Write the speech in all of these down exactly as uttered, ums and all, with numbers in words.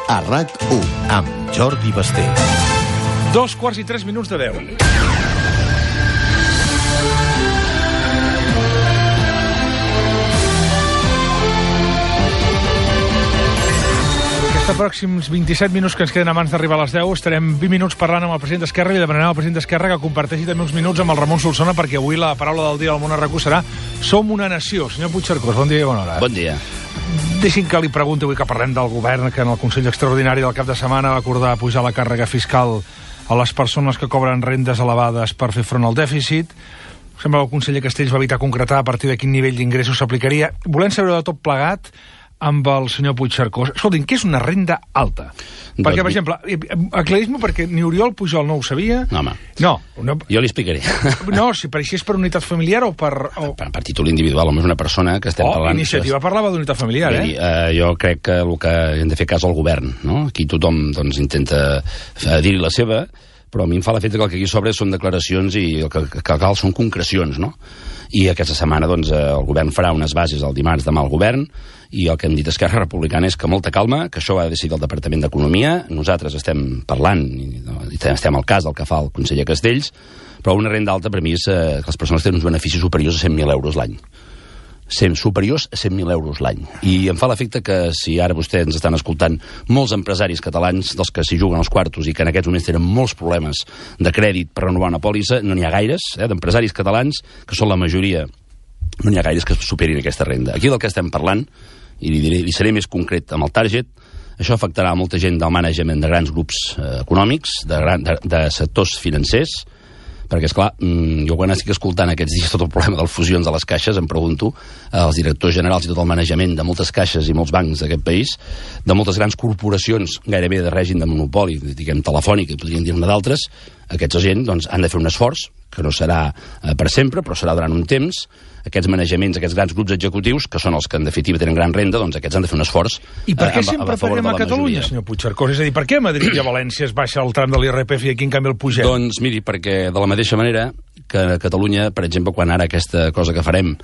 a RAC u, amb Jordi Basté. Dos quarts i tres minuts de deu. Aquests pròxims vint-i-set minuts que ens queden abans d'arribar a les deu estarem vint minuts parlant amb el president d'Esquerra i demanarem al president d'Esquerra que comparteixi també uns minuts amb el Ramon Solsona, perquè avui la paraula del dia al món a RAC u serà Som una nació. Senyor Puigcercós, bon dia i bona hora. Bon dia. Deixin que li pregunti avui que parlem del govern, que en el Consell Extraordinari del cap de setmana va acordar pujar la càrrega fiscal a les persones que cobren rendes elevades per fer front al dèficit. Sembla que el conseller Castells va evitar concretar a partir de quin nivell d'ingressos s'aplicaria. Volem saber de tot plegat amb el senyor Puigcercós. Escoltin, què és una renda alta? Doncs perquè, per exemple, aclaris-m'ho, perquè ni Oriol Pujol no ho sabia. No, home. No. no jo li explicaré. No, si per així és per unitat familiar o per... O... Per, per títol individual, home, és una persona que estem oh, parlant... Iniciativa parlava d'unitat familiar, eh? Dir, eh? Jo crec que el que hem de fer cas al govern, no? Aquí tothom doncs, intenta dir-hi la seva, però a mi em fa l'efecte que el que aquí sobre són declaracions i el que, que cal són concrecions, no? I aquesta setmana doncs, el govern farà unes bases el dimarts demà al govern, i el que hem dit a Esquerra Republicana és que molta calma, que això ho ha de decidir el Departament d'Economia, nosaltres estem parlant i, i estem al cas del que fa el conseller Castells, però una renda alta per mi és eh, que les persones tenen uns beneficis superiors a cent mil euros l'any. Superiors a cent mil euros l'any. I em fa l'efecte que si ara vostès ens estan escoltant molts empresaris catalans dels que s'hi juguen els quartos i que en aquests moments tenen molts problemes de crèdit per renovar una pòlissa, no n'hi ha gaires, eh, d'empresaris catalans, que són la majoria, no n'hi ha gaires que superin aquesta renda. Aquí del que estem parlant, i li, diré, li seré més concret amb el target, això afectarà a molta gent del management de grans grups eh, econòmics, de, gran, de, de sectors financers, perquè, esclar, jo quan estic escoltant aquests dies tot el problema de les fusions de les caixes, em pregunto als directors generals i tot el manejament de moltes caixes i molts bancs d'aquest país, de moltes grans corporacions, gairebé de règim de monopoli, diguem telefònic, i podríem dir-ne d'altres, aquests gent doncs, han de fer un esforç, que no serà eh, per sempre, però serà durant un temps. Aquests manejaments, aquests grans grups executius, que són els que en definitiva tenen gran renda, doncs aquests han de fer un esforç. I per què eh, sempre a, a paguem a Catalunya, senyor Puigcercós? És a dir, per què a Madrid i a València es baixa el tram de l'I R P F i aquí en canvi el pugem? Doncs miri, perquè de la mateixa manera que a Catalunya, per exemple, quan ara aquesta cosa que farem,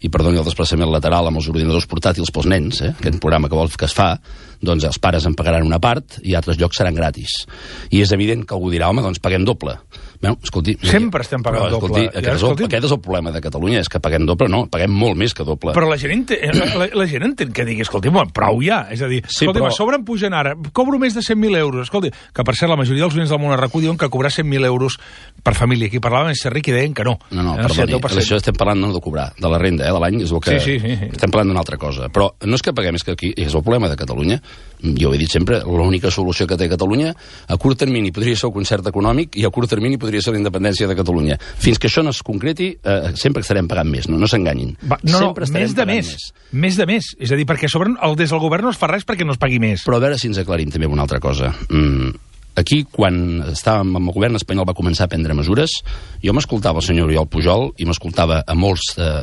i perdoni el desplaçament lateral amb els ordinadors portàtils pels nens, eh, aquest programa que vol que es fa, doncs els pares en pagaran una part i altres llocs seran gratis. I és evident que algú dirà, home, doncs paguem doble. Bueno, escolti, sempre estem pagant però, escolti, doble. Aquest, ja, escolti, és el, aquest és el problema de Catalunya, és que paguem doble, no, paguem molt més que doble. Però la gent entén, la, la gent entén que digui, escolti, bueno, prou ja, és a dir, sí, escolti, però... a sobre em pugen ara, cobro més de cent mil euros, escolti, que per cert la majoria dels oients del món a RAC u diuen que cobrar cent mil euros per família, aquí parlaven de ser ric i deien que no. No, no, perdoni, això estem parlant no de cobrar, de la renda, eh, de l'any, és el que... Sí, sí, sí, sí. Estem parlant d'una altra cosa, però no és que paguem, és que aquí és el problema de Catalunya. Jo ho he dit sempre, l'única solució que té Catalunya a curt termini podria ser el concert econòmic i a curt termini podria ser la independència de Catalunya. Fins que això no es concreti, eh, sempre estarem pagant més, no, no s'enganyin. No, no, més de més. més. Més de més. És a dir, perquè sobre el, des del govern no es fa res perquè no es pagui més. Però a veure si ens aclarim també una altra cosa. Mm, aquí, quan estàvem amb el govern espanyol va començar a prendre mesures, jo m'escoltava el senyor Oriol Pujol i m'escoltava a molts eh,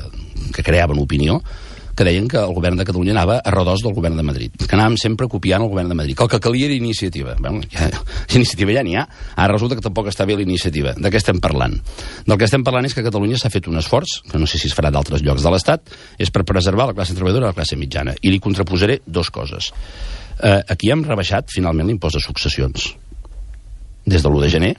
que creaven opinió, que deien que el govern de Catalunya anava a redós del govern de Madrid, que anàvem sempre copiant el govern de Madrid, que el que calia era iniciativa. Bueno, ja, iniciativa ja n'hi ha. Ara resulta que tampoc està bé la iniciativa. De què estem parlant? Del que estem parlant és que Catalunya s'ha fet un esforç, que no sé si es farà d'altres llocs de l'Estat, és per preservar la classe treballadora i la classe mitjana. I li contraposaré dos coses. Eh, aquí hem rebaixat, finalment, l'impost de successions. Des de l'u de gener,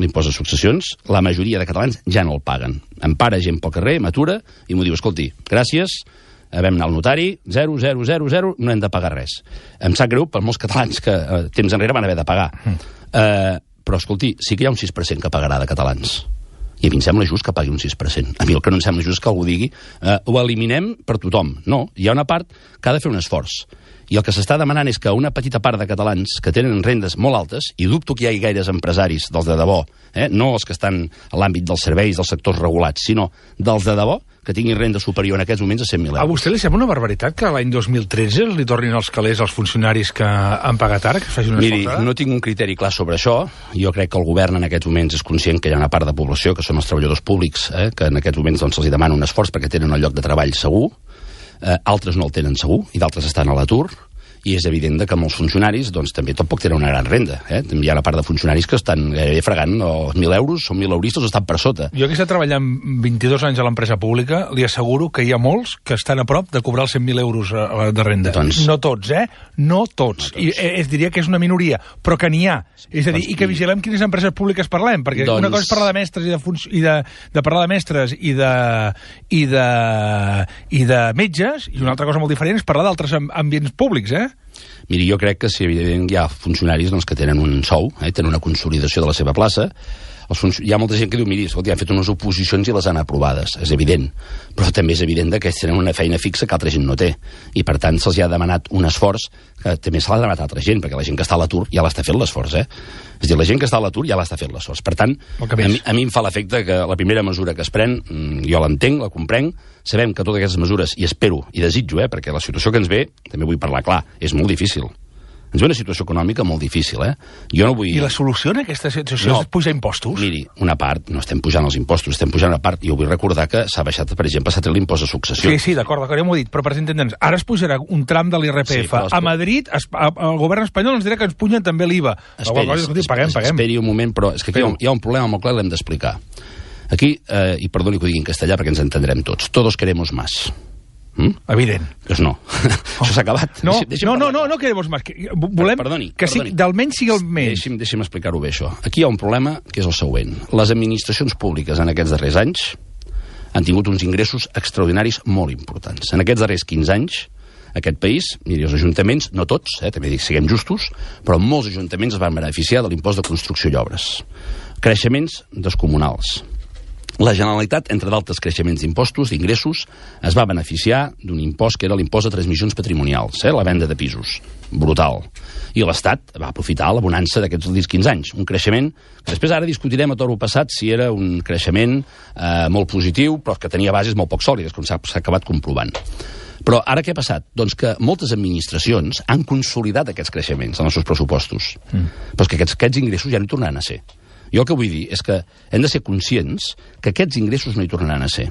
l'impost de successions, la majoria de catalans ja no el paguen. Em para gent pel carrer, m'atura i m'ho diu, escolti, gràcies, vam anar al notari, zero, zero, zero, zero, no hem de pagar res. Em sap greu per molts catalans que eh, temps enrere van haver de pagar. Mm. Eh, però, escolti, sí que hi ha un sis per cent que pagarà de catalans. I a mi em sembla just que pagui un sis per cent. A mi el que no em sembla just que algú digui eh, ho eliminem per tothom. No, hi ha una part que ha de fer un esforç. I el que s'està demanant és que una petita part de catalans que tenen rendes molt altes, i dubto que hi hagi gaires empresaris dels de debò, eh, no els que estan a l'àmbit dels serveis, dels sectors regulats, sinó dels de debò, que tinguin renda superior en aquests moments a cent mil euros. A vostè li sembla una barbaritat que l'any dos mil tretze li tornin els calés als funcionaris que han pagat ara, que facin una Miri, escoltada? No tinc un criteri clar sobre això. Jo crec que el govern en aquests moments és conscient que hi ha una part de població, que són els treballadors públics, eh, que en aquests moments doncs, els demana un esforç perquè tenen un lloc de treball segur, eh, altres no el tenen segur, i d'altres estan a l'atur, i és evident que amb els funcionaris doncs, també tampoc tenen una gran renda. Eh? Hi ha una part de funcionaris que estan gairebé fregant els mil euros, són mil euristes o estan per sota. Jo que he estat treballant vint-i-dos anys a l'empresa pública, li asseguro que hi ha molts que estan a prop de cobrar els cent mil euros de renda. Doncs... No tots, eh? No tots. No tots. I es diria que és una minoria, però que n'hi ha. És a dir, doncs, i que vigilem quines empreses públiques parlem, perquè doncs... una cosa és parlar de mestres i de, fun... i de, de parlar de mestres i de, i de, i de metges, i una altra cosa molt diferent és parlar d'altres ambients públics, eh? Miri, jo crec que si evidentment hi ha funcionaris doncs, que tenen un sou, eh, tenen una consolidació de la seva plaça, els func... hi ha molta gent que diu, miri, escolta, han fet unes oposicions i les han aprovades, és evident, però també és evident que ells tenen una feina fixa que altra gent no té, i per tant se'ls ha demanat un esforç que també se l'ha demanat a altra gent, perquè la gent que està a l'atur ja l'està fent l'esforç, eh? És a dir, la gent que està a l'atur ja l'està fent l'esforç. Per tant, a mi, a mi em fa l'efecte que la primera mesura que es pren, jo l'entenc, la comprenc, sabem que totes aquestes mesures, i espero, i desitjo, eh, perquè la situació que ens ve, també vull parlar clar, és molt difícil. Ens ve una situació econòmica molt difícil, eh? Jo no vull... I la solució en aquesta situació no, és pujar impostos? Miri, una part, no estem pujant els impostos, estem pujant una part, i jo vull recordar que s'ha baixat, per exemple, s'ha tret l'impost de successió. Sí, sí, d'acord, d'acord, ja m'ho he dit, però per entendre'ns, ara es pujarà un tram de l'I R P F. Sí, a Madrid, es, a, el govern espanyol ens dirà que ens pugen també l'I V A. Esperi, es, paguem, paguem. esperi un moment, però és que aquí hi ha, hi ha un problema molt clar i l'hem d'explicar. Aquí, eh, i perdoni que ho digui en castellà perquè ens entendrem tots, todos queremos más. Mm? Evident. Doncs no. Oh. Això s'ha acabat. No, deixi, no, no, no, no queremos más. Volem perdoni, que sigui, d'almenys sigui el menys. Deixi'm, deixi'm explicar-ho bé, això. Aquí hi ha un problema que és el següent. Les administracions públiques en aquests darrers anys han tingut uns ingressos extraordinaris molt importants. En aquests darrers quinze anys, aquest país, miri, els ajuntaments, no tots, eh, també dic, siguem justos, però molts ajuntaments es van beneficiar de l'impost de construcció i obres. Creixements descomunals. La Generalitat, entre d'altres creixements d'impostos, d'ingressos, es va beneficiar d'un impost que era l'impost de transmissions patrimonials, eh, la venda de pisos. Brutal. I l'Estat va aprofitar la bonança d'aquests quinze anys. Un creixement que després ara discutirem a toro passat si era un creixement eh, molt positiu, però que tenia bases molt poc sòlides, com s'ha acabat comprovant. Però ara què ha passat? Doncs que moltes administracions han consolidat aquests creixements en els seus pressupostos. Mm. Però és que aquests, aquests ingressos ja no hi tornaran a ser. Jo el que vull dir és que hem de ser conscients que aquests ingressos no hi tornaran a ser.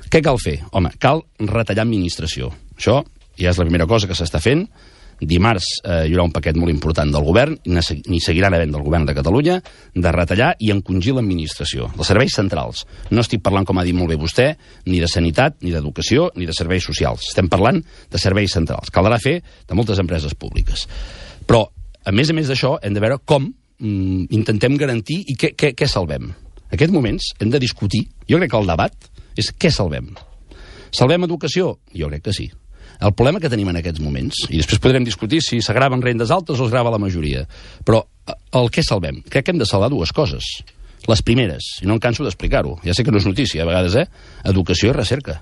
Què cal fer? Home, cal retallar administració. Això ja és la primera cosa que s'està fent. Dimarts eh, hi haurà un paquet molt important del govern, ni seguiran havent del govern de Catalunya, de retallar i encongir l'administració. Els serveis centrals. No estic parlant, com ha dit molt bé vostè, ni de sanitat, ni d'educació, ni de serveis socials. Estem parlant de serveis centrals. Caldrà fer de moltes empreses públiques. Però, a més a més d'això, hem de veure com intentem garantir i què, què, què salvem. En aquests moments hem de discutir, jo crec que el debat és què salvem. Salvem educació? Jo crec que sí. El problema que tenim en aquests moments, i després podrem discutir si s'agraven rendes altes o es grava la majoria, però el què salvem? Crec que hem de salvar dues coses. Les primeres, i no em canso d'explicar-ho, ja sé que no és notícia a vegades, eh? Educació i recerca.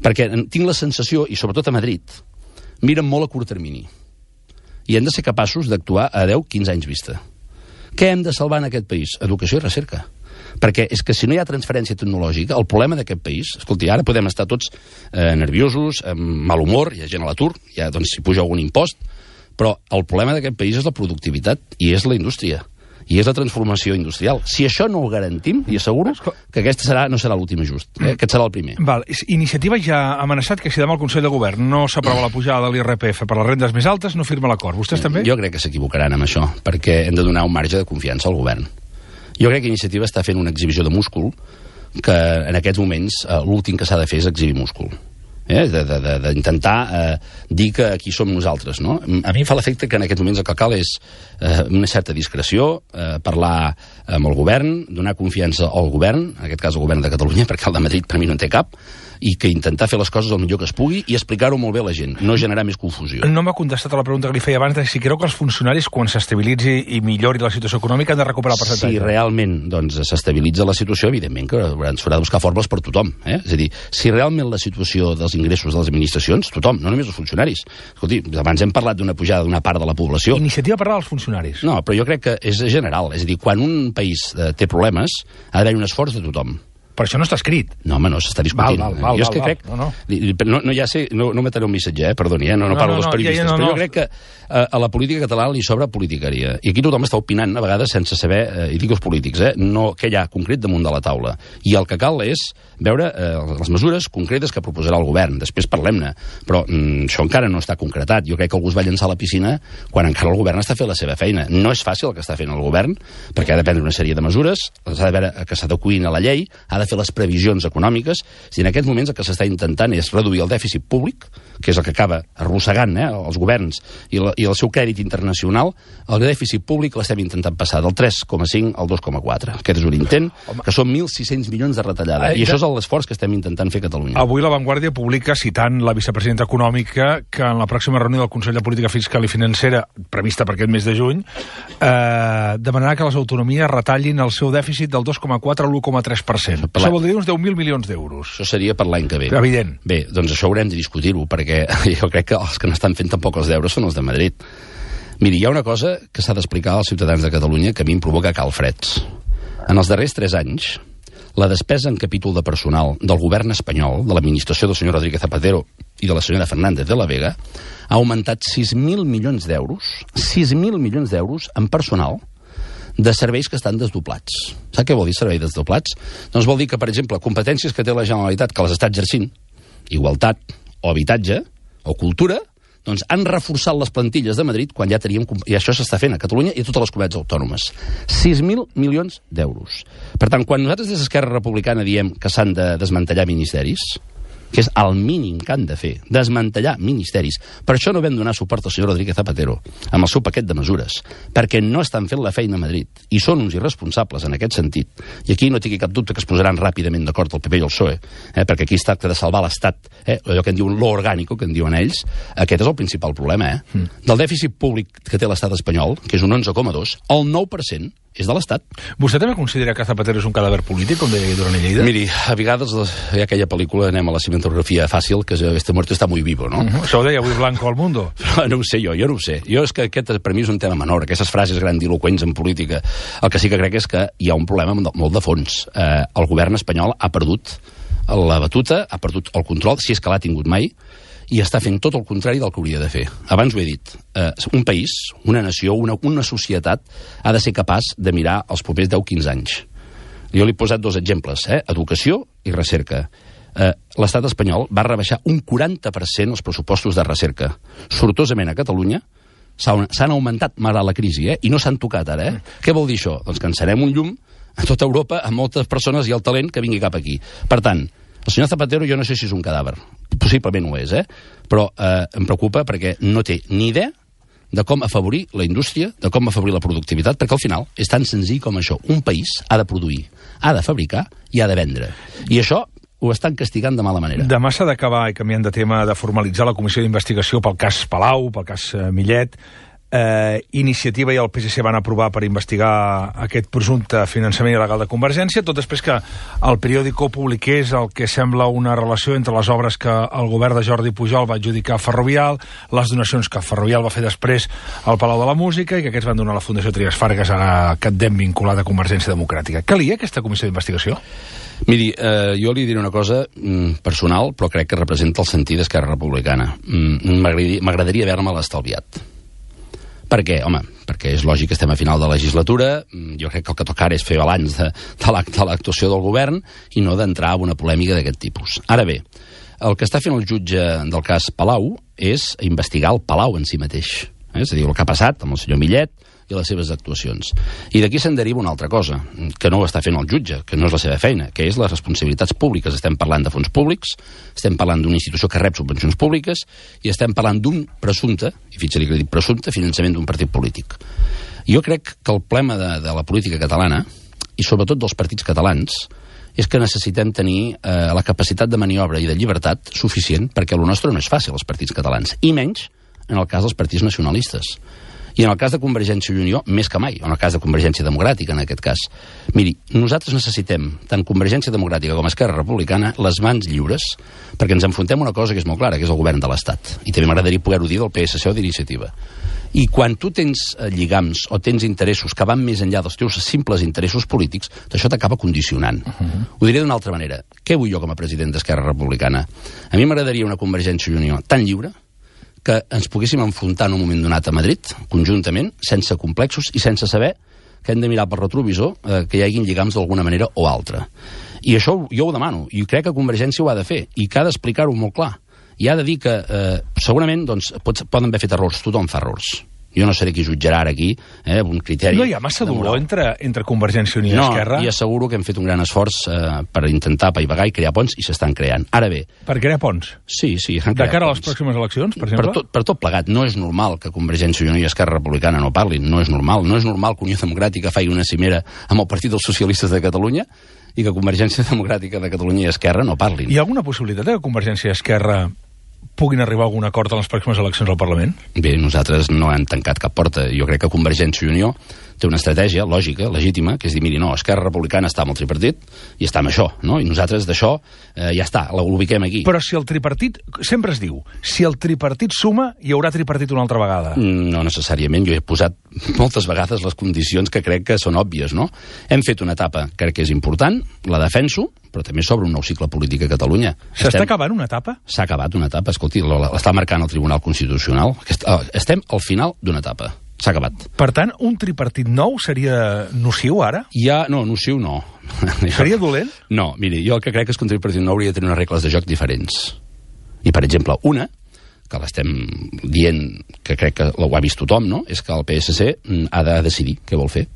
Perquè tinc la sensació, i sobretot a Madrid, miren molt a curt termini. I hem de ser capaços d'actuar a deu a quinze anys vista. Què hem de salvar en aquest país? Educació i recerca. Perquè és que si no hi ha transferència tecnològica, el problema d'aquest país... Escolti, ara podem estar tots eh, nerviosos, amb mal humor, hi ha gent a l'atur, ja doncs si puja algun impost, però el problema d'aquest país és la productivitat i és la indústria. I és la transformació industrial. Si això no ho garantim, li asseguro que aquest serà, no serà l'últim just. Eh? Aquest serà el primer. Val. Iniciativa ja ha amenaçat que si demà el Consell de Govern no s'aprova la pujada de l'I R P F per les rendes més altes, no firma l'acord. Vostès també? Jo crec que s'equivocaran amb això, perquè hem de donar un marge de confiança al govern. Jo crec que Iniciativa està fent una exhibició de múscul que en aquests moments eh, l'últim que s'ha de fer és exhibir múscul. Eh, d'intentar eh, dir que aquí som nosaltres, no? A mi em fa l'efecte que en aquests moments el que cal és eh, una certa discreció, eh, parlar amb el govern, donar confiança al govern, en aquest cas el govern de Catalunya, perquè el de Madrid per mi no en té cap, i que intentar fer les coses el millor que es pugui i explicar-ho molt bé a la gent, no generar més confusió. No m'ha contestat a la pregunta que li feia abans de si creu que els funcionaris, quan s'estabilitzi i millori la situació econòmica, han de recuperar el percentatge. Si realment doncs, s'estabilitza la situació, evidentment que s'haurà de buscar fórmules per tothom. Eh? És a dir, si realment la situació dels ingressos de les administracions, tothom, no només els funcionaris. Escolti, abans hem parlat d'una pujada d'una part de la població. Iniciativa parlar dels funcionaris. No, però jo crec que és general. És a dir, quan un país eh, té problemes, ha d'haver un esforç de tothom. però això no està escrit. No, home, no, s'està discutint. Val, val, val, jo és que val, crec... No, no. No, no, ja sé, no, no metré un missatge, eh? Perdoni, eh? no, no, no parlo no, no, dels periodistes, ja, ja, no, però jo no. crec que a, a la política catalana li sobra politiqueria. I aquí tothom està opinant, a vegades, sense saber, eh, i dic els polítics, eh? no, què hi ha concret damunt de la taula. I el que cal és veure eh, les mesures concretes que proposarà el govern. Després parlem-ne. Però mm, això encara no està concretat. Jo crec que algú es va llançar a la piscina quan encara el govern està fent la seva feina. No és fàcil el que està fent el govern, perquè ha de prendre una sèrie de mesures, s'ha de veure que s'adeqüin a la llei, ha de fer les previsions econòmiques. Si en aquests moments el que s'està intentant és reduir el dèficit públic, que és el que acaba arrossegant eh, els governs i, la, i el seu crèdit internacional, el dèficit públic l'estem intentant passar del tres coma cinc al dos coma quatre. Aquest és un intent, Home. que són mil sis-cents milions de retallada. Ai, I això és l'esforç que estem intentant fer a Catalunya. Avui La Vanguardia publica, citant la vicepresidenta econòmica, que en la pròxima reunió del Consell de Política Fiscal i Financera, prevista per aquest mes de juny, eh, demanarà que les autonomies retallin el seu dèficit del dos coma quatre al u coma tres per cent. Això vol dir uns deu mil milions d'euros. Això seria per l'any que ve. Evident. Bé, doncs això haurem de discutir-ho, perquè jo crec que els que n'estan fent tampoc els deures són els de Madrid. Miri, hi ha una cosa que s'ha d'explicar als ciutadans de Catalunya que a mi em provoca calfreds. En els darrers tres anys, la despesa en capítol de personal del govern espanyol, de l'administració del senyor Rodríguez Zapatero i de la senyora Fernández de la Vega, ha augmentat sis mil milions d'euros, sis mil milions d'euros en personal de serveis que estan desdoblats. Sap què vol dir serveis desdoblats? Doncs vol dir que, per exemple, competències que té la Generalitat que les està exercint, igualtat o habitatge o cultura, doncs han reforçat les plantilles de Madrid quan ja teníem... I això s'està fent a Catalunya i a totes les comunitats autònomes. sis mil milions d'euros. Per tant, quan nosaltres des d'Esquerra Republicana diem que s'han de desmantellar ministeris, que és el mínim que han de fer, desmantellar ministeris. Per això no vam donar suport al senyor Rodríguez Zapatero amb el seu paquet de mesures, perquè no estan fent la feina a Madrid, i són uns irresponsables en aquest sentit. I aquí no tingui cap dubte que es posaran ràpidament d'acord el P P i el P S O E, eh, perquè aquí es tracta de salvar l'Estat, eh, allò que en diuen lo orgánico, que en diuen ells. Aquest és el principal problema, eh? Mm. Del dèficit públic que té l'estat espanyol, que és un onze coma dos, el nou per cent és de l'Estat. Vostè també considera que Zapatero és un cadàver polític, com deia Duran i Lleida? Miri, a vegades hi ha aquella pel·lícula, anem a la cinematografia fàcil, que és Este muerto está muy vivo, no? Uh -huh. Això ho deia avui Blanco al Mundo. Però no ho sé jo, jo no ho sé. Jo és que aquest per mi és un tema menor, aquestes frases grandiloquents en política. El que sí que crec és que hi ha un problema molt de fons. Eh, el govern espanyol ha perdut la batuta, ha perdut el control, si és que l'ha tingut mai, i està fent tot el contrari del que hauria de fer. Abans ho he dit, eh, un país, una nació, una, una societat ha de ser capaç de mirar els propers deu a quinze anys. Jo li he posat dos exemples, eh? Educació i recerca. Eh, L'estat espanyol va rebaixar un quaranta per cent els pressupostos de recerca. Sortosament a Catalunya s'han augmentat malgrat la crisi, eh? I no s'han tocat ara, eh? Mm. Què vol dir això? Doncs que encenem un llum a tota Europa, a moltes persones i el talent que vingui cap aquí. Per tant, el senyor Zapatero jo no sé si és un cadàver, possiblement ho és, eh? Però eh, em preocupa perquè no té ni idea de com afavorir la indústria, de com afavorir la productivitat, perquè al final és tan senzill com això. Un país ha de produir, ha de fabricar i ha de vendre. I això ho estan castigant de mala manera. Demà s'ha d'acabar, i canviant de tema, de formalitzar la comissió d'investigació pel cas Palau, pel cas eh, Millet. Eh, Iniciativa i el P S C van aprovar per investigar aquest presumpte finançament il·legal de Convergència, tot després que el periòdico publiqués el que sembla una relació entre les obres que el govern de Jordi Pujol va adjudicar a Ferrovial, les donacions que Ferrovial va fer després al Palau de la Música i que aquests van donar a la Fundació Trias Fargas, ara Catdem vinculada a Convergència Democràtica. Calia aquesta comissió d'investigació? Miri, eh, jo li diré una cosa mm, personal, però crec que representa el sentit d'Esquerra Republicana. Mm, M'agradaria haver-me-la estalviat. Per què? Home, perquè és lògic que estem a final de legislatura, jo crec que el que toca ara és fer balanç de, de l'actuació del govern i no d'entrar en una polèmica d'aquest tipus. Ara bé, el que està fent el jutge del cas Palau és investigar el Palau en si mateix. Eh? És a dir, el que ha passat amb el senyor Millet i les seves actuacions. I d'aquí se'n deriva una altra cosa, que no ho està fent el jutge, que no és la seva feina, que és les responsabilitats públiques. Estem parlant de fons públics, estem parlant d'una institució que rep subvencions públiques i estem parlant d'un presumpte, i fixa-li que he dit presumpte, finançament d'un partit polític. Jo crec que el problema de, de la política catalana, i sobretot dels partits catalans, és que necessitem tenir eh, la capacitat de maniobra i de llibertat suficient, perquè el nostre no és fàcil, els partits catalans, i menys en el cas dels partits nacionalistes. I en el cas de Convergència i Unió, més que mai, en el cas de Convergència Democràtica, en aquest cas. Miri, nosaltres necessitem, tant Convergència Democràtica com Esquerra Republicana, les mans lliures, perquè ens enfrontem a una cosa que és molt clara, que és el govern de l'Estat. I també m'agradaria poder-ho dir del P S C o d'Iniciativa. I quan tu tens lligams o tens interessos que van més enllà dels teus simples interessos polítics, això t'acaba condicionant. Uh -huh. Ho diré d'una altra manera. Què vull jo com a president d'Esquerra Republicana? A mi m'agradaria una Convergència i Unió tan lliure que ens poguéssim enfrontar en un moment donat a Madrid, conjuntament, sense complexos i sense saber que hem de mirar pel retrovisor eh, que hi hagin lligams d'alguna manera o altra. I això jo ho demano, i crec que Convergència ho ha de fer, i que ha d'explicar-ho molt clar. I ha de dir que, eh, segurament, doncs, pots, poden haver fet errors, tothom fa errors. Jo no seré qui jutjarà ara aquí, eh, un criteri... No hi ha massa dolor entre, entre Convergència i Unió i no, Esquerra? No, i asseguro que hem fet un gran esforç eh, per intentar apaivagar i crear ponts, i s'estan creant. Ara bé... Per crear ponts? Sí, sí, han creat De cara ponts. a les pròximes eleccions, per exemple? Per tot, per tot plegat. No és normal que Convergència i Unió i Esquerra Republicana no parlin. No és normal. No és normal que Unió Democràtica faci una cimera amb el Partit dels Socialistes de Catalunya i que Convergència Democràtica de Catalunya i Esquerra no parlin. Hi ha alguna possibilitat que Convergència i Esquerra puguin arribar a algun acord en les pròximes eleccions al Parlament? Bé, nosaltres no hem tancat cap porta. Jo crec que Convergència i Unió té una estratègia lògica, legítima, que és dir, miri, no, Esquerra Republicana està amb el tripartit i està amb això, no? I nosaltres d'això eh, ja està, l'ubiquem aquí. Però si el tripartit, sempre es diu, si el tripartit suma, hi haurà tripartit una altra vegada. No necessàriament, jo he posat moltes vegades les condicions que crec que són òbvies, no? Hem fet una etapa, crec que és important, la defenso, però també s'obre un nou cicle polític a Catalunya. S'està Estem... acabant una etapa? S'ha acabat una etapa, escolti, l'està marcant el Tribunal Constitucional. Estem al final d'una etapa. S'ha acabat. Per tant, un tripartit nou seria nociu ara? Ja, no, nociu no. Seria dolent? No, miri, jo el que crec és que un tripartit nou hauria de tenir unes regles de joc diferents. I, per exemple, una, que l'estem dient, que crec que ho ha vist tothom, no?, és que el P S C ha de decidir què vol fer.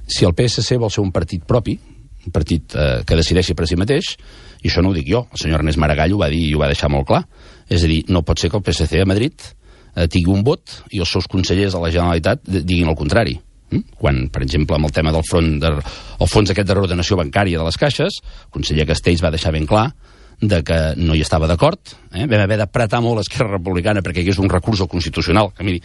Si el P S C vol ser un partit propi, un partit eh, que decideixi per si mateix, i això no ho dic jo, el senyor Ernest Maragall ho va dir i ho va deixar molt clar, és a dir, no pot ser que el P S C a Madrid eh, tingui un vot i els seus consellers de la Generalitat diguin el contrari. Mm? Quan, per exemple, amb el tema del front de, el fons aquest de reordenació bancària de les caixes, el conseller Castells va deixar ben clar de que no hi estava d'acord. Eh? Vam haver d'apretar molt l'Esquerra Republicana perquè hi hagués un recurs al Constitucional. Que, miri,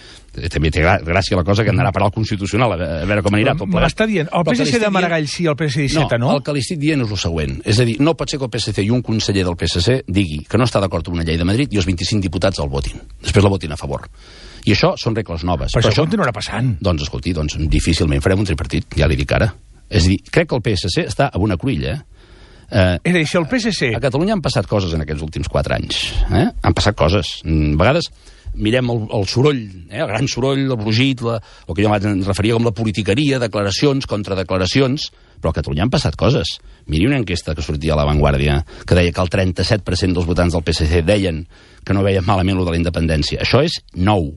també té gràcia la cosa que anarà a parar al Constitucional, a veure com anirà. M'està dient, el P S C de Maragall sí, el P S C d'Iceta no? No, el que li estic dient és el següent. És a dir, no pot ser que el P S C i un conseller del P S C digui que no està d'acord amb una llei de Madrid i els vint-i-cinc diputats el votin. Després la votin a favor. I això són regles noves. Però, Però això continuarà passant. Doncs, escolti, doncs, difícilment farem un tripartit, ja li dic ara. És a dir, crec que el P S C està a una cruïlla, eh? Eh, és a dir, si el P S C... A Catalunya han passat coses en aquests últims quatre anys. Eh? Han passat coses. A vegades mirem el, el soroll, eh? el gran soroll, el brugit, la, el que jo em referia com la politiqueria, declaracions, contradeclaracions, però a Catalunya han passat coses. Miri una enquesta que sortia a La Vanguardia que deia que el trenta-set per cent dels votants del P S C deien que no veien malament lo de la independència. Això és nou.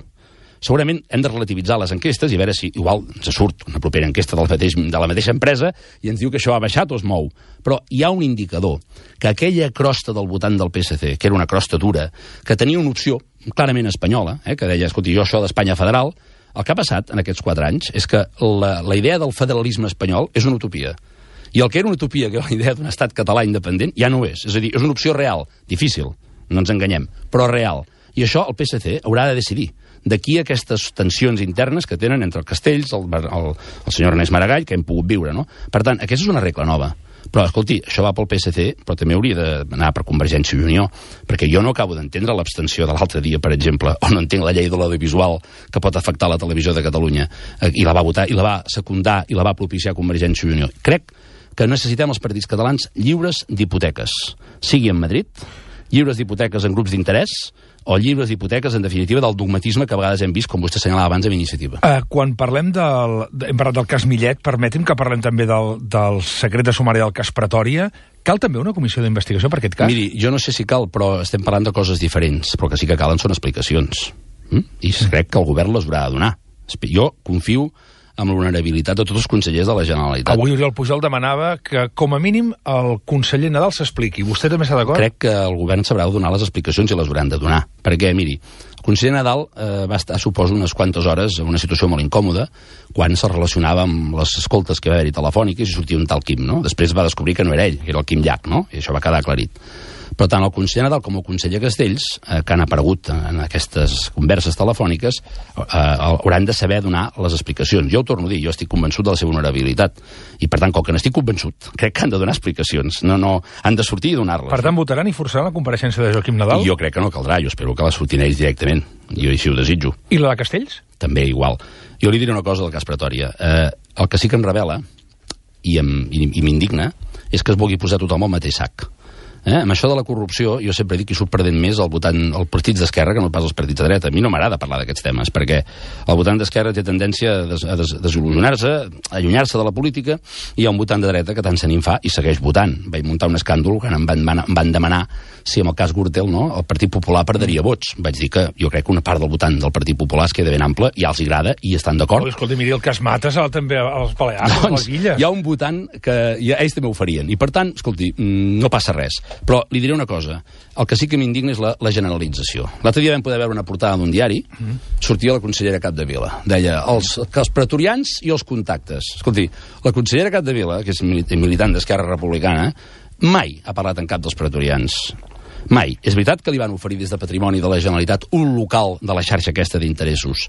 Segurament hem de relativitzar les enquestes i a veure si igual ens surt una propera enquesta del mateix, de la mateixa empresa i ens diu que això ha baixat o es mou. Però hi ha un indicador, que aquella crosta del votant del P S C, que era una crosta dura, que tenia una opció clarament espanyola, eh, que deia, escolti, jo això d'Espanya federal, el que ha passat en aquests quatre anys és que la, la idea del federalisme espanyol és una utopia. I el que era una utopia, que era la idea d'un estat català independent, ja no ho és. És a dir, és una opció real, difícil, no ens enganyem, però real. I això el P S C haurà de decidir. D'aquí aquestes tensions internes que tenen entre el Castells, el, el, el senyor Ernest Maragall, que hem pogut viure, no? Per tant, aquesta és una regla nova. Però, escolti, això va pel P S C, però també hauria d'anar per Convergència i Unió, perquè jo no acabo d'entendre l'abstenció de l'altre dia, per exemple, o no entenc la llei de l'audiovisual que pot afectar la televisió de Catalunya, i la va votar, i la va secundar, i la va propiciar Convergència i Unió. Crec que necessitem els partits catalans lliures d'hipoteques, sigui en Madrid, lliures d'hipoteques en grups d'interès, o llibres d'hipoteques, en definitiva, del dogmatisme que a vegades hem vist, com vostè assenyalava abans, amb Iniciativa. Uh, quan parlem del... Hem parlat del cas Millet, permeti'm que parlem també del, del secret de sumari del cas Pretòria. Cal també una comissió d'investigació per aquest cas? Miri, jo no sé si cal, però estem parlant de coses diferents, però que sí que calen són explicacions. Mm? I crec que el govern les haurà de donar. Jo confio amb l'honorabilitat de tots els consellers de la Generalitat. Avui Oriol Pujol demanava que, com a mínim, el conseller Nadal s'expliqui. Vostè també està d'acord? Crec que el govern sabrà donar les explicacions i les hauran de donar. Perquè, miri, el conseller Nadal eh, va estar, suposo, unes quantes hores en una situació molt incòmoda quan se relacionava amb les escoltes que va haver-hi telefòniques i sortia un tal Quim, no? Després va descobrir que no era ell, que era el Quim Llach, no? I això va quedar aclarit. Però tant el conseller Nadal com el conseller Castells, eh, que han aparegut en aquestes converses telefòniques, eh, hauran de saber donar les explicacions. Jo ho torno a dir, jo estic convençut de la seva honorabilitat. I, per tant, com que n'estic convençut, crec que han de donar explicacions. No, no, han de sortir i donar-les. Per tant, votaran i forçaran la compareixença de Joaquim Nadal? I jo crec que no caldrà. Jo espero que la surtin ells directament. Jo així ho desitjo. I la de Castells? també igual. Jo li diré una cosa del cas Pretòria. Eh, el que sí que em revela, i m'indigna, és que es vulgui posar tothom al mateix sac. Eh? Amb això de la corrupció, jo sempre dic que hi surt perdent més el votant, els partits d'esquerra que no pas els partits de dreta. A mi no m'agrada parlar d'aquests temes, perquè el votant d'esquerra té tendència a, des, a des, desil·lusionar-se, a allunyar-se de la política, i hi ha un votant de dreta que tant se n'hi fa i segueix votant. Vaig muntar un escàndol quan em van, van, em van demanar si amb el cas Gürtel, no, el Partit Popular perderia vots. Vaig dir que jo crec que una part del votant del Partit Popular es queda ben ample, ja els agrada i estan d'acord. Oh, escolta, miri el cas Mates també als Balears, doncs, a les Illes. Hi ha un votant que ja, ells també ho farien, i per tant, escolti, no passa res. Però li diré una cosa, el que sí que m'indigna és la, la generalització. L'altre dia vam poder veure una portada d'un diari, mm. sortia la consellera Capdevila, deia els, que els pretorians i els contactes. Escolti, la consellera Capdevila, que és militant d'Esquerra Republicana, mai ha parlat en cap dels pretorians. Mai. És veritat que li van oferir des de Patrimoni de la Generalitat un local de la xarxa aquesta d'interessos,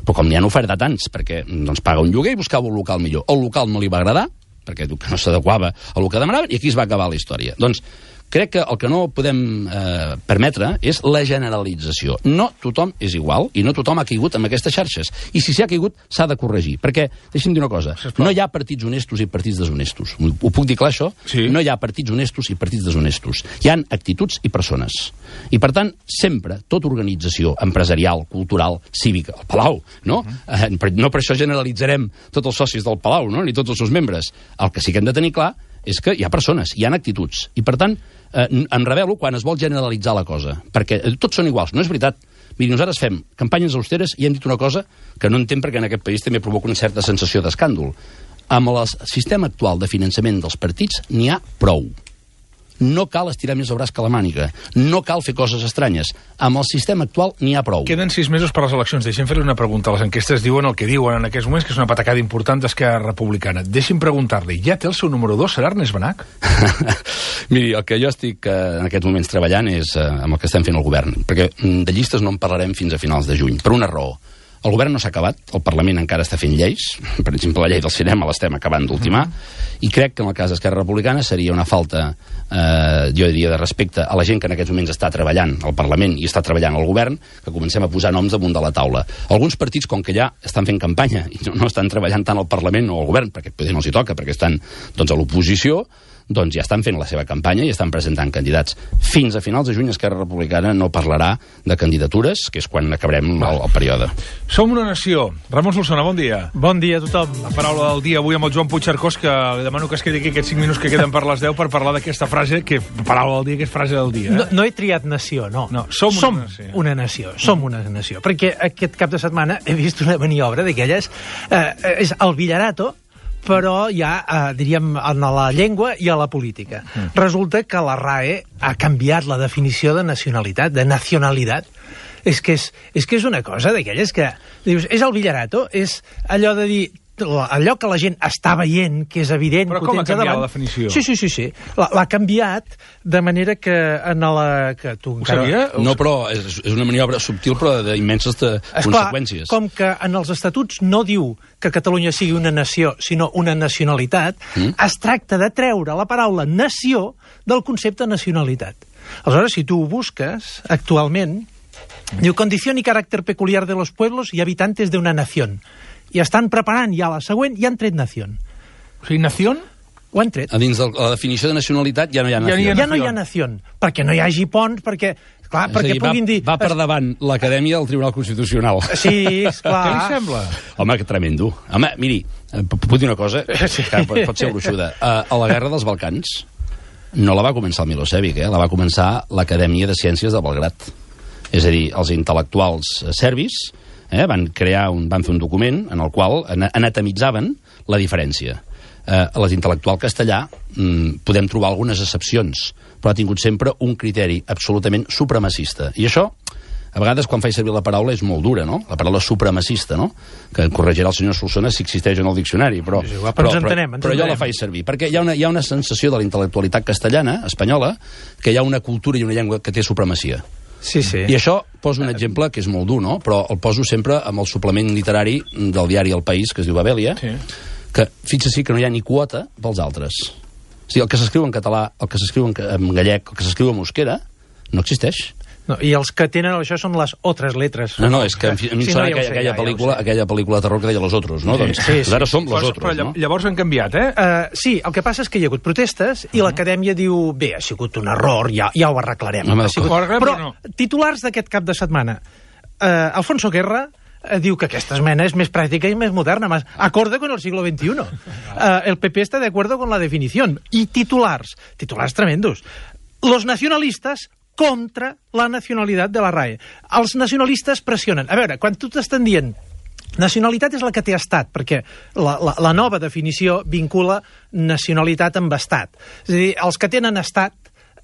però com n'hi han ofertat tants, perquè doncs, paga un lloguer i buscava un local millor. El local no li va agradar, perquè no s'adequava al que demanaven, i aquí es va acabar la història. Doncs crec que el que no podem eh, permetre és la generalització. No tothom és igual i no tothom ha caigut en aquestes xarxes. I si s'hi ha caigut, s'ha de corregir. Perquè, deixi'm dir una cosa, no hi ha partits honestos i partits deshonestos. Ho puc dir clar, això? Sí. No hi ha partits honestos i partits deshonestos. Hi han actituds i persones. I, per tant, sempre, tota organització empresarial, cultural, cívica, el Palau, no? Uh-huh. eh, no per això generalitzarem tots els socis del Palau, no? Ni tots els seus membres. El que sí que hem de tenir clar és que hi ha persones, hi ha actituds. I, per tant, eh, em revelo quan es vol generalitzar la cosa, perquè eh, tots són iguals, no és veritat. Miri, nosaltres fem campanyes austeres i hem dit una cosa que no entenc perquè en aquest país també provoca una certa sensació d'escàndol. Amb el sistema actual de finançament dels partits n'hi ha prou. No cal estirar més el braç que la màniga. No cal fer coses estranyes. Amb el sistema actual n'hi ha prou. Queden sis mesos per les eleccions. Deixem fer-li una pregunta. Les enquestes diuen el que diuen en aquests moments, que és una patacada important d'Esquerra Republicana. Deixi'm preguntar-li, ja té el seu número dos? Serà Ernest Benach? Miri, el que jo estic eh, en aquests moments treballant és eh, amb el que estem fent el govern. Perquè de llistes no en parlarem fins a finals de juny. Per una raó. El govern no s'ha acabat, el Parlament encara està fent lleis, per exemple, la llei del cinema l'estem acabant d'ultimar, mm-hmm. i crec que en el cas d'Esquerra Republicana seria una falta, eh, jo diria, de respecte a la gent que en aquests moments està treballant al Parlament i està treballant al govern, que comencem a posar noms damunt de la taula. Alguns partits, com que ja estan fent campanya i no, no estan treballant tant al Parlament o al govern, perquè potser no els hi toca, perquè estan doncs, a l'oposició, doncs ja estan fent la seva campanya i estan presentant candidats. Fins a finals de juny Esquerra Republicana no parlarà de candidatures, que és quan acabarem el, el període. Som una nació. Ramon Solsona, bon dia. Bon dia a tothom. La paraula del dia avui amb el Joan Puigcercós, que li demano que es quedi aquí aquests cinc minuts que queden per les deu per parlar d'aquesta frase, que paraula del dia, que és frase del dia. Eh? No, no he triat nació, no. No, som, som una nació. una nació. Som una nació. Perquè aquest cap de setmana he vist una maniobra d'aquelles... Eh, és el Villarato, però ja, eh, diríem, en la llengua i a la política. Mm. Resulta que la R A E ha canviat la definició de nacionalitat, de nacionalitat. És que és, és, que és una cosa d'aquelles que... Dius, és el Villarato, és allò de dir... allò que la gent està veient, que és evident... Però com ha canviat la definició? Sí, sí, sí, sí. L'ha canviat de manera que en la... Que tu Ho sabia? No, però és, és una maniobra subtil, però d'immenses conseqüències. Com que en els estatuts no diu que Catalunya sigui una nació, sinó una nacionalitat, mm? es tracta de treure la paraula nació del concepte nacionalitat. Aleshores, si tu ho busques, actualment, diu condició i caràcter peculiar de los pueblos y habitantes de una nación. I estan preparant ja la següent i han tret nación. O sigui, nación? Ho han tret. A dins de la definició de nacionalitat ja no hi ha nació. Ja, ja no hi ha nación, perquè no hi hagi ponts, perquè... Clar, és perquè dir, puguin va, dir... Va per davant l'Acadèmia del Tribunal Constitucional. Sí, esclar. Què li sembla? Home, que tremendo. Home, miri, puc dir una cosa? Sí. Que pot, pot ser gruixuda. A, a la Guerra dels Balcans no la va començar el Milosevic, eh? La va començar l'Acadèmia de Ciències de Belgrat. És a dir, els intel·lectuals serbis eh, van crear un, van fer un document en el qual anatemitzaven la diferència. Eh, a l'intel·lectual castellà mm, podem trobar algunes excepcions, però ha tingut sempre un criteri absolutament supremacista. I això, a vegades, quan faig servir la paraula, és molt dura, no? La paraula supremacista, no? Que corregirà el senyor Solsona si existeix en el diccionari, però, sí, però, però, entenem, però, però jo la faig servir, perquè hi ha una, hi ha una sensació de la intel·lectualitat castellana, espanyola, que hi ha una cultura i una llengua que té supremacia. Sí, sí. I això poso un exemple que és molt dur, no? Però el poso sempre amb el suplement literari del diari El País, que es diu Babèlia, sí. Que fixa-s'hi que no hi ha ni quota pels altres. O sigui, el que s'escriu en català, el que s'escriu en gallec, el que s'escriu en euskera, no existeix. No, I els que tenen això són les altres letres. No, no, és que a mi em Sí, sona no, ja ho aquella, sé, aquella, ja, ja ho pel·lícula, sé. aquella pel·lícula de terror que deia Los Otros, no? Sí, Doncs sí, sí. ara som Los Però, Otros, però no? llavors han canviat, eh? Uh, sí, el que passa és que hi ha hagut protestes i l'acadèmia diu, bé, ha sigut un error, ja, ja ho arreglarem. Home, ha sigut... ho arreglarem, Però però no. titulars d'aquest cap de setmana. Uh, Alfonso Guerra uh, diu que aquesta esmena és més pràctica i més moderna, más acorde con el siglo veintiuno. Uh, el P P está de acuerdo con la definición. I titulars, titulars tremendos. Los nacionalistas contra la nacionalitat de la R A E. Els nacionalistes pressionen. A veure, quan tu t'estan dient nacionalitat és la que té estat, perquè la, la, la nova definició vincula nacionalitat amb estat. És a dir, els que tenen estat,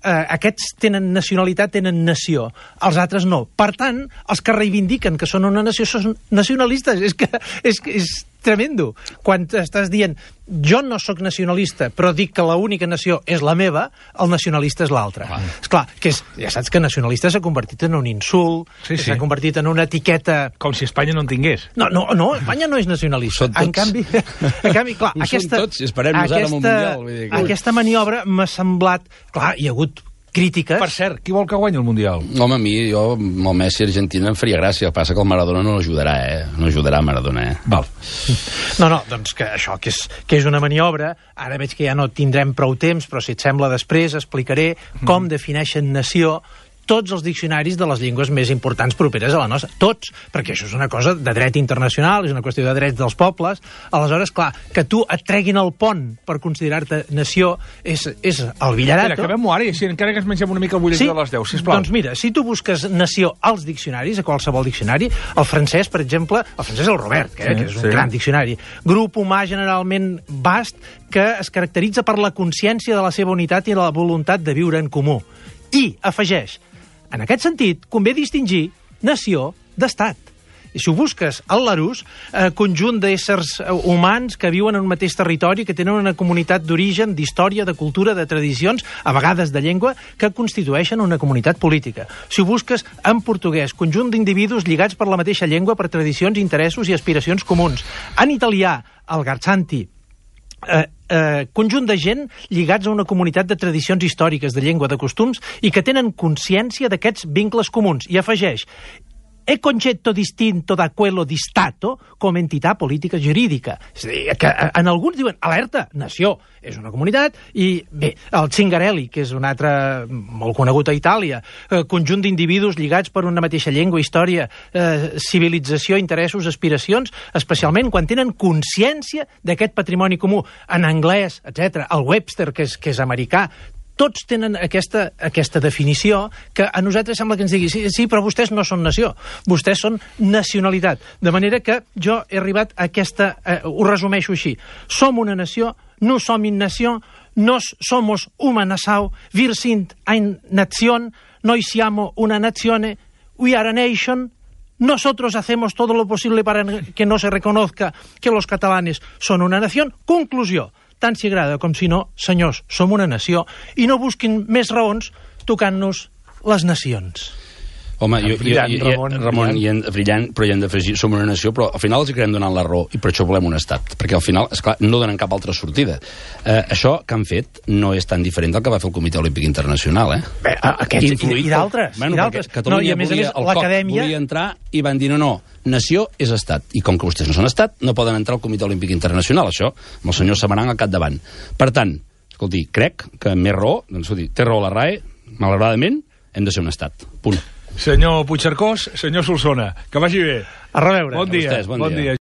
eh, aquests tenen nacionalitat, tenen nació. Els altres no. Per tant, els que reivindiquen que són una nació són nacionalistes. És que és, és tremendo. Quan estàs dient jo no sóc nacionalista, però dic que l'única nació és la meva, el nacionalista és l'altre. Esclar, que és, ja saps que nacionalista s'ha convertit en un insult, Sí, sí. s'ha convertit en una etiqueta... Com si Espanya no en tingués. No, no, no, Espanya no és nacionalista. Són tots. En canvi, en canvi clar, Ho són aquesta, tots, i esperem-nos ara amb el Mundial, vull dir que- aquesta maniobra m'ha semblat... Clar, hi ha hagut crítiques... Per cert, qui vol que guanyi el Mundial? Home, a mi, jo, amb el Messi Argentina em faria gràcia. El que passa que el Maradona no ajudarà, eh? No ajudarà Maradona, eh? Val. No, no, doncs que això, que és, que és una maniobra, ara veig que ja no tindrem prou temps, però si et sembla després explicaré com defineixen nació tots els diccionaris de les llengües més importants properes a la nostra. Tots, perquè això és una cosa de dret internacional, és una qüestió de drets dels pobles. Aleshores, clar, que tu et treguin el pont per considerar-te nació és, és el villarato. Espera, acabem-ho ara i així encara que ens mengem una mica el butlletí Sí? de les deu, sisplau. Doncs mira, si tu busques nació als diccionaris, a qualsevol diccionari, el francès, per exemple, el francès és el Robert, que, Sí, que és un sí. gran diccionari. Grup humà generalment vast que es caracteritza per la consciència de la seva unitat i la voluntat de viure en comú. I afegeix, en aquest sentit, convé distingir nació d'estat. I si ho busques al Larousse, eh, conjunt d'éssers eh, humans que viuen en un mateix territori, que tenen una comunitat d'origen, d'història, de cultura, de tradicions, a vegades de llengua, que constitueixen una comunitat política. Si ho busques en portuguès, conjunt d'individus lligats per la mateixa llengua, per tradicions, interessos i aspiracions comuns. En italià, el Garsanti, eh, eh, conjunt de gent lligats a una comunitat de tradicions històriques, de llengua, de costums, i que tenen consciència d'aquests vincles comuns. I afegeix, è concetto distinto da quello di Stato com entitat política jurídica. És a dir, que en alguns diuen, alerta, nació, és una comunitat, i bé, el Zingarelli, que és un altre molt conegut a Itàlia, eh, conjunt d'individus lligats per una mateixa llengua, història, eh, civilització, interessos, aspiracions, especialment quan tenen consciència d'aquest patrimoni comú. En anglès, etcètera, el Webster, que és, que és americà, tots tenen aquesta, aquesta definició que a nosaltres sembla que ens digui sí, sí, però vostès no són nació, vostès són nacionalitat. De manera que jo he arribat a aquesta... Eh, ho resumeixo així. Som una nació, no som una nació, nos somos una nação, wir sind eine Nation, noi siamo una nazione, we are a nation, nosotros hacemos todo lo posible para que no se reconozca que los catalanes son una nación. Conclusió. Tant si agrada com si no, senyors, som una nació i no busquin més raons tocant-nos les nacions. Home, jo, Brillant, jo, jo, Ramon, Ramon, i en, brillant, però hi hem d'afegir, som una nació, però al final els acabem donant la raó, i per això volem un estat, perquè al final, esclar, no donen cap altra sortida. Eh, això que han fet no és tan diferent del que va fer el Comitè Olímpic Internacional, eh? Bé, aquests, i, i d'altres. Bueno, i d'altres. Catalunya No, i a més a volia, més, el C O C l'acadèmia... volia entrar i van dir no, no, nació és estat. I com que vostès no són estat, no poden entrar al Comitè Olímpic Internacional, això, amb el senyor Samaranch al capdavant. Per tant, escolti, crec que més raó, doncs, escolti, té raó la R A E, malauradament, hem de ser un estat. Punt. Senyor Puigcercós, senyor Solsona, que vagi bé. A reveure. Bon dia. A vostès, bon bon dia. dia.